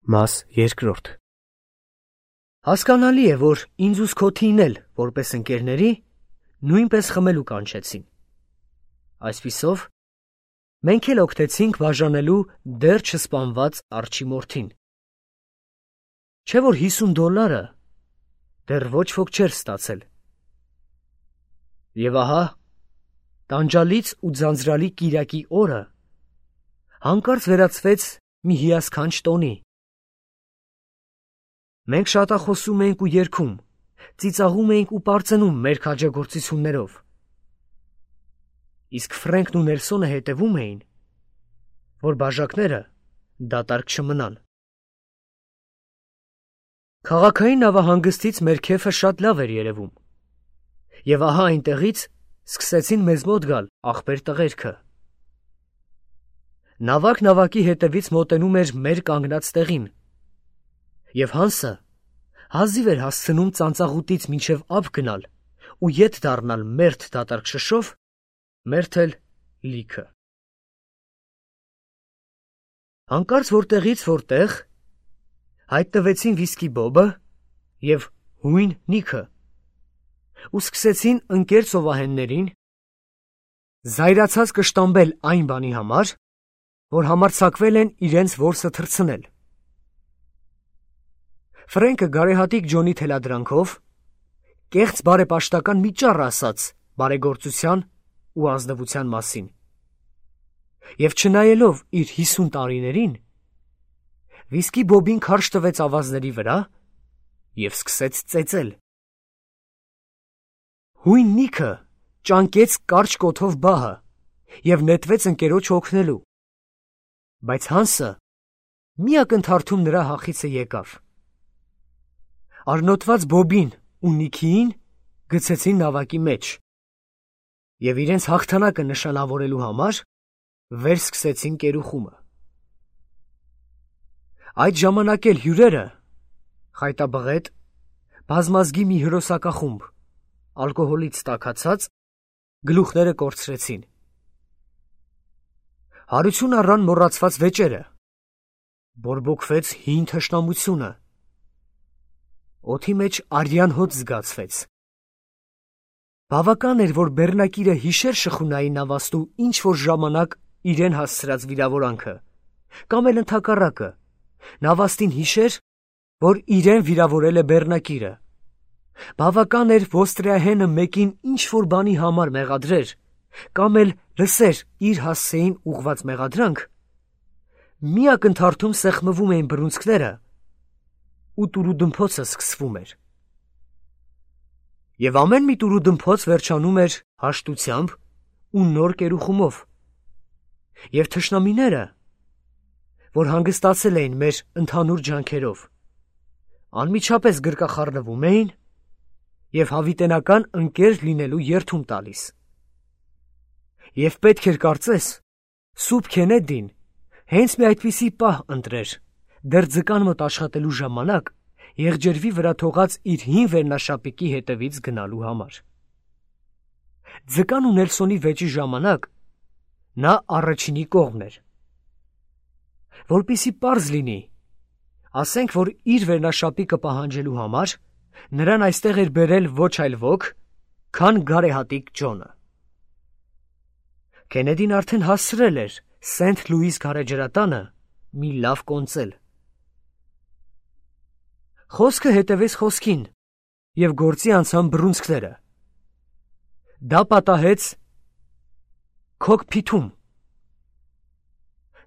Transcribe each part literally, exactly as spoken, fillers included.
Մաս երկրորդ Հասկանալի է, որ ինձ ու Սքոթին էլ, որպես ընկերների, նույնպես խմելու կանչեցին։ Այսպիսով, մենք էլ օգտեցինք բաժանելու դեռ չսպանված արջի մորթին։ Չէ՞ որ հիսուն դոլարը դեռ ոչ ոք չէր ստացել։ Եվ ահա, տանջալից ու ձանձրալի կիրակի օրը հանկարծ վերածվեց մի հիասքանչ տոնի։ Մենք շատախոսում էինք ու երգում, ծիծաղում էինք ու պարծենում մեր քաջագործություններով։ Իսկ Ֆրենքն ու Նելսոնը հետևում էին, որ բաժակները դատարկ չմնան։ Քաղաքային նավահանգստից մեր քեֆը շատ լավ էր երևում, եւ ահա այնտեղից սկսեցին մեզ մոտ գալ ախպեր տղերքը։ Նավակ նավակի հետևից մոտենում էր մեր կանգնած տեղին, եւ Հանսը հազիվ էր հասցնում ծանծաղուտից մինչև ափ գնալ ու ետ դառնալ մերթ դատարկ շշով, մերթ էլ լիքը։ Հանկարծ որտեղից որտեղ հայտնվեցին վիսկի Բոբը եւ հույն Նիքը ու սկսեցին ընկեր ծովահեններին զայրացած կշտամբել այն բանի համար, որ համարձակվել են իրենց որսը թռցնել։ Ֆրենկը գարեհատիկ Ջոնի թելադրանքով կեղծ բարեպաշտական մի ճառ ասաց բարեգործության ու ազնվության մասին, եւ չնայելով իր հիսուն տարիներին, վիսկի Բոբին քարշ տվեց ավազների վրա եւ սկսեց ծեծել։ Հույն Նիքը ճանկեց կարճ կոթով բահը եւ նետվեց ընկերոջը օգնելու, բայց Հանսը մի ակնթարթում նրա հախիցը եկավ։ Արնոտված Բոբին ու Նիքիին գցեցին նավակի մեջ եւ իրենց հաղթանակը նշանավորելու համար վեր սկսեցին կերուխումը։ Այդ ժամանակ էլ հյուրերը, խայտաբղետ, բազմազգի մի հրոսակախումբ, ալկոհոլից տաքացած, գլուխները կորցրեցին։ Հարություն առան մոռացված վեճերը, բորբոքվեց հին թշնամությունը, օդի մեջ արյան հոտ զգացվեց։ Բավական էր, որ բեռնակիրը հիշեր շխունայի նավաստու ինչ-որ ժամանակ իրեն հասցրած վիրավորանքը, կամ էլ ընդհակառակը, նավաստին հիշեր, որ իրեն վիրավորել է բեռնակիրը։ Բավական էր ոստրիահենը մեկին ինչ-որ բանի համար մեղադրեր, կամ էլ լսեր իր հասցեին ուղված մեղադրանք, մի ակնթարթում սեղմվում էին բռունցքները ու տուրուդմփոցը սկսվում էր։ Եվ ամեն մի տուրուդմփոց վերջանում էր հաշտությամբ ու նոր կերուխումով, եւ թշնամիները, որ հանգստացել էին մեր ընդհանուր ջանքերով, անմիջապես գրկախառնվում էին եւ հավիտենական ընկեր լինելու երդում տալիս։ Եվ պետք էր կարծես, Սուրբ Քենեդին հենց մի այդպիսի պահ ընտրեր, դեռ ձկան մոտ աշխատելու ժամանակ եղջերվի վրա թողած իր հին վերնաշապիկի հետևից գնալու համար։ Ձկան ու Նելսոնի վեճի ժամանակ նա առաջինի կողմն էր։ Որպեսզի պարզ լինի, ասենք, որ իր վերնաշապիկը պահանջելու համար նրան այստեղ էր բերել ոչ այլ ոք, քան գարեհատիկ Ջոնը։ Քենեդին արդեն հասցրել էր Սենթ Լուիս գարեջրատանը մի լավ կոնծել։ Խոսքը հետևեց խոսքին եւ գործի անցան բռունցքները։ Դա պատահեց քոքփիթում։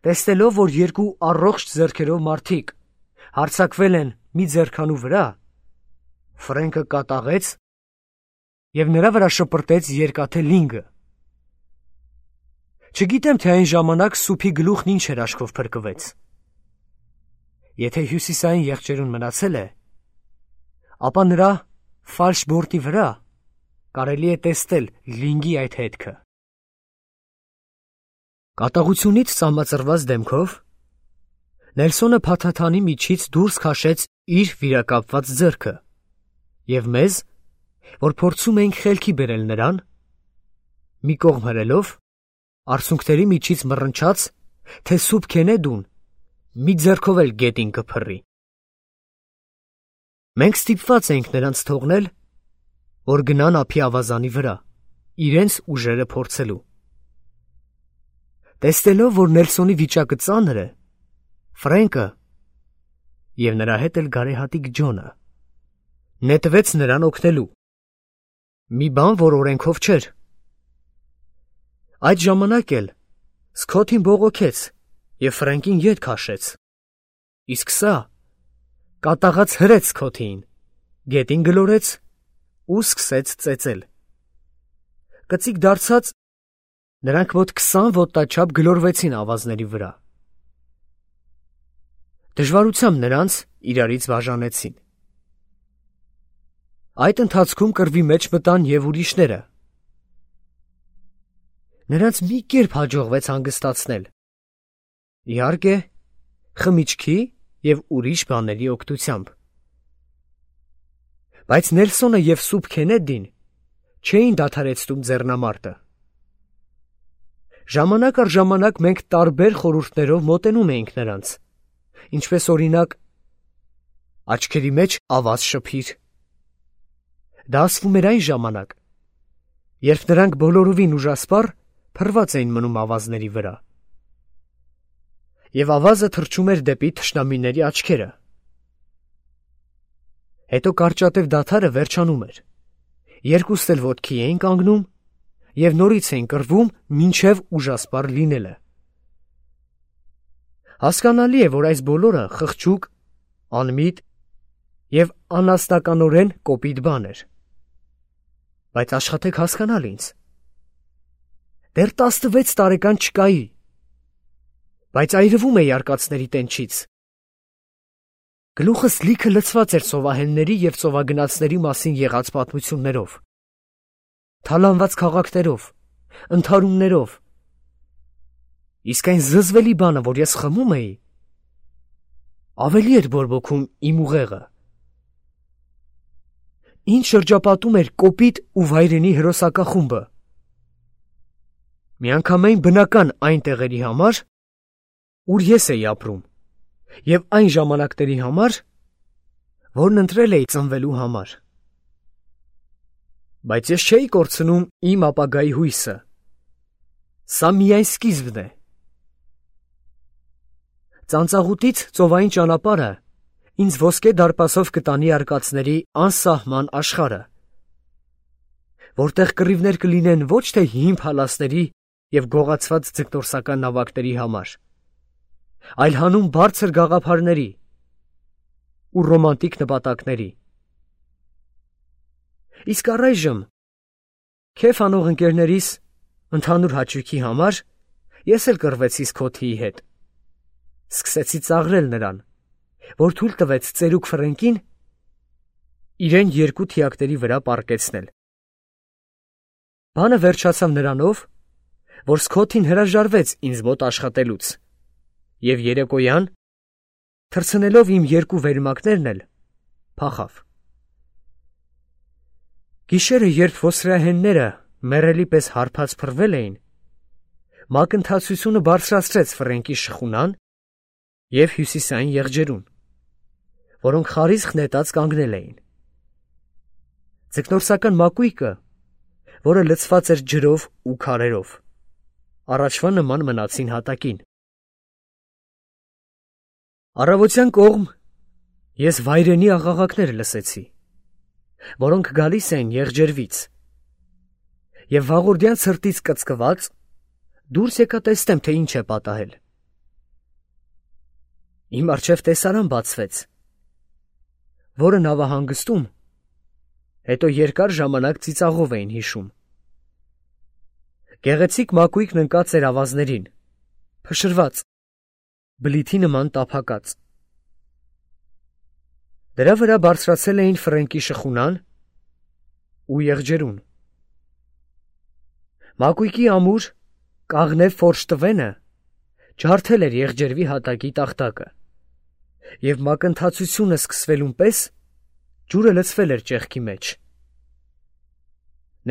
Տեսնելով, որ երկու առողջ ձեռքերով մարդիկ հարձակվել են մի ձեռքանու վրա, Ֆրենկը կատաղեց եւ նրա վրա շպրտեց երկաթե լինգը։ Չգիտեմ, թե այն ժամանակ սուփի գլուխն ինչ էր աչքով փրկվեց։ Եթե հյուսիսային եղջերուն մնացել է, ապա նրա ֆալշ բորտի վրա կարելի է տեսնել լինգի այդ հետքը։ Կատաղությունից ծամածրված դեմքով Նելսոնը փաթաթանի միջից դուրս քաշեց իր վիրակապված ձեռքը եւ մեզ, որ փորձում էինք խելքի բերել նրան, մի կողմ հրելով, արցունքների միջից մռնչաց, թե Սուրբ Քենեդուն մի ձեռքով էլ գետին կփռի։ Մենք ստիպված էինք նրանց թողնել, որ գնան ափի ավազանի վրա, իրենց ուժերը փորձելու։ Տեսնելով, որ Նելսոնի վիճակը ծանր է, Ֆրենկը և նրա հետ էլ գարեհատիկ Ջոնը նետվեց նրան օգնելու, մի բան, որ օրենքով չէր։ Այդ ժամանակ էլ Սքոթին բողոքեց և Ֆրենկին ետ քաշեց, իսկ սա կատաղած հրեց Սքոթիին, գետին գլորեց ու սկսեց ծեծել։ Կծիկ դարձած նրանք մոտ քսան ոտնաչափ գլորվեցին ավազների վրա։ Դժվարությամբ նրանց իրարից բաժանեցին։ Այդ ընթացքում կռվի մեջ մտան և ուրիշները։ Նրանց մի կերպ հաջողվեց հանգստացնել, իհարկե, խմիչքի և ուրիշ բաների օգնությամբ։ Բայց Նելսոնը և Սուփ Քենեդին չէին դադարեցնում ձեռնամարտը։ Ժամանակ առ ժամանակ մենք տարբեր խորհուրդներով մոտենում էինք նրանց, ինչպես օրինակ, աչքերի մեջ ավազ շփիր։ Դա ասվում էր այն ժամանակ, երբ նրանք բոլորովին ուժասպառ փռված էին մնում ավազների վրա, և ավազը թռչում էր դեպի թշնամիների աչքերը։ Հետո կարճատև դադարը վերջանում էր, երկուստ էլ ոտքի էին կանգնում և նորից էին կռվում մինչև ուժասպառ լինելը։ Հասկանալի է, որ այս բոլորը խղճուկ, անմիտ և անասնականորեն կոպիտ բան էր։ Բայց աշխատեք հասկանալ ինձ. դեռ տասնվեց տարեկան չկայի, բայց այրվում էի արկածների տենչից։ Գլուխս լիքը լցված էր ծովահենների և ծովագնացների մասին եղած պատմություններով, թալանված քաղաքներով, ընդհարումներով, իսկ այն զզվելի բանը, որ ես խմում էի, ավելի էր բորբոքում իմ ուղեղը։ Ինձ շրջապատում էր կոպիտ ու վայրենի հրոսակախումբը, միանգամայն բնական այն տեղերի համար, ուր ես էի ապրում, և այն ժամանակների համար, որն ընտրել էի ծնվելու համար։ Բայց ես չէի կորցնում իմ ապագայի հույսը։ Սա միայն սկիզբն է։ Ծանծաղուտից ծովային ճանապարհը ինձ ոսկե դարպասով կտանի արկածների անսահման աշխարհը, որտեղ կռիվներ կլինեն ոչ թե հին փալասների և գողացված ձկնորսական նավակների համար, այլ հանուն բարձր գաղափարների ու ռոմանտիկ նպատակների։ Իսկ առայժմ, քեֆ անող ընկերներիս ընդհանուր հաճույքի համար, ես էլ կռվեցի Սքոթիի հետ, սկսեցի ծաղրել նրան, որ թույլ տվեց ծերուկ Ֆրենկին իրեն երկու թիակների վրա պառկեցնել։ Բանը վերջացավ նրանով, որ Սքոթին հրաժարվեց ինձ մոտ աշխատելուց, և երեկոյան, թռցնելով իմ երկու վերմակներն էլ, փախավ։ Գիշերը, երբ ոսրիահենները մեռելի պես հարբած փռվել էին, մակընթացությունը բարձրացրեց Ֆրենկի շխունան և հյուսիսային եղջերուն, որոնք խարիսխ նետած կանգնել էին։ Ձկնորսական մակույկը, որը լցված էր ջրով ու քարերով, առաջվա նման մնացին հատակին։ Առավոտյան կողմ ես վայրենի աղաղակներ լսեցի, որոնք գալիս էին եղջերվից, և վաղորդյան ցրտից կծկված դուրս եկա տեսնեմ, թե ինչ է պատահել։ Իմ առջև տեսարան բացվեց, որը նավահանգստում հետո երկար ժամանակ ծիծաղով էին հիշում։ Գեղեցիկ մակույկն ընկած էր ավազներին, փշրված, բլիթի նման տափակած։ Դրա վրա բարձրացել էին Ֆրենկի շխունան ու եղջերուն։ Մակույկի ամուր, կաղնե ֆորշ տվենը ջարդել էր եղջերվի հատակի տախտակը, և մակընթացությունը սկսվելուն պես ջուրը լցվել էր ճեղքի մեջ։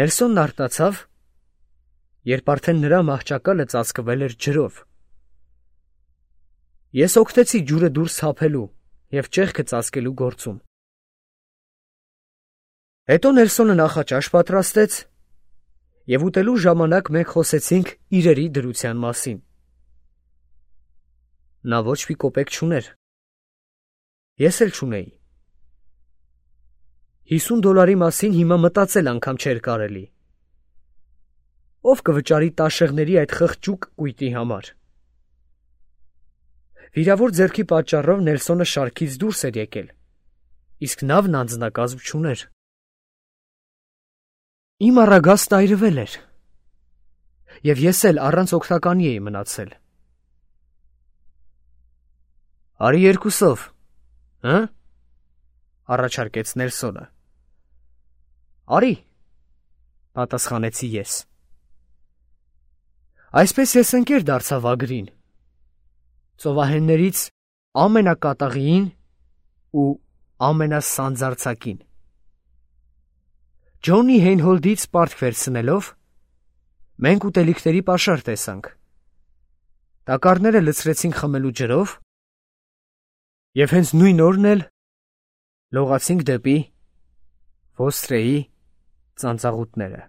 Նելսոնն արթնացավ, երբ արդեն նրա մահճակալը ծածկվել էր ջրով, Ես օգնեցի ջուրը դուրս թափելու և ճեղքը ծածկելու գործում։ Հետո Նելսոնը նախաճաշ պատրաստեց, և ուտելու ժամանակ մենք խոսեցինք իրերի դրության մասին։ Նա ոչ մի կոպեկ չուներ։ Ես էլ չունեի։ Հիսուն դոլարի մասին հիմա մտածել անգամ չէր կարելի։ Ով կվճարի տաշեղների այդ խղճուկ կույտի համար։ Վիրավոր ձեռքի պատճառով Նելսոնը շարքից դուրս էր եկել, իսկ նավն անձնակազմ չուներ։ Իմ առագաստը այրվել էր, և ես էլ առանց օգնականի էի մնացել։ Արի երկուսով, հը՞, առաջարկեց Նելսոնը։ Արի, պատասխանեցի ես։ Այսպես ես ընկեր դարձա վագրին, ծովահեններից ամենակատաղիին ու ամենասանձարձակին։ Ջոնի Հեյնհոլդից պարտք վերցնելով, մենք ուտելիքների պաշար տեսանք։ Տակառները լցրեցինք խմելու ջրով, և հենց նույն օրն էլ լողացինք դեպի Ոստրեի ծանծաղուտները։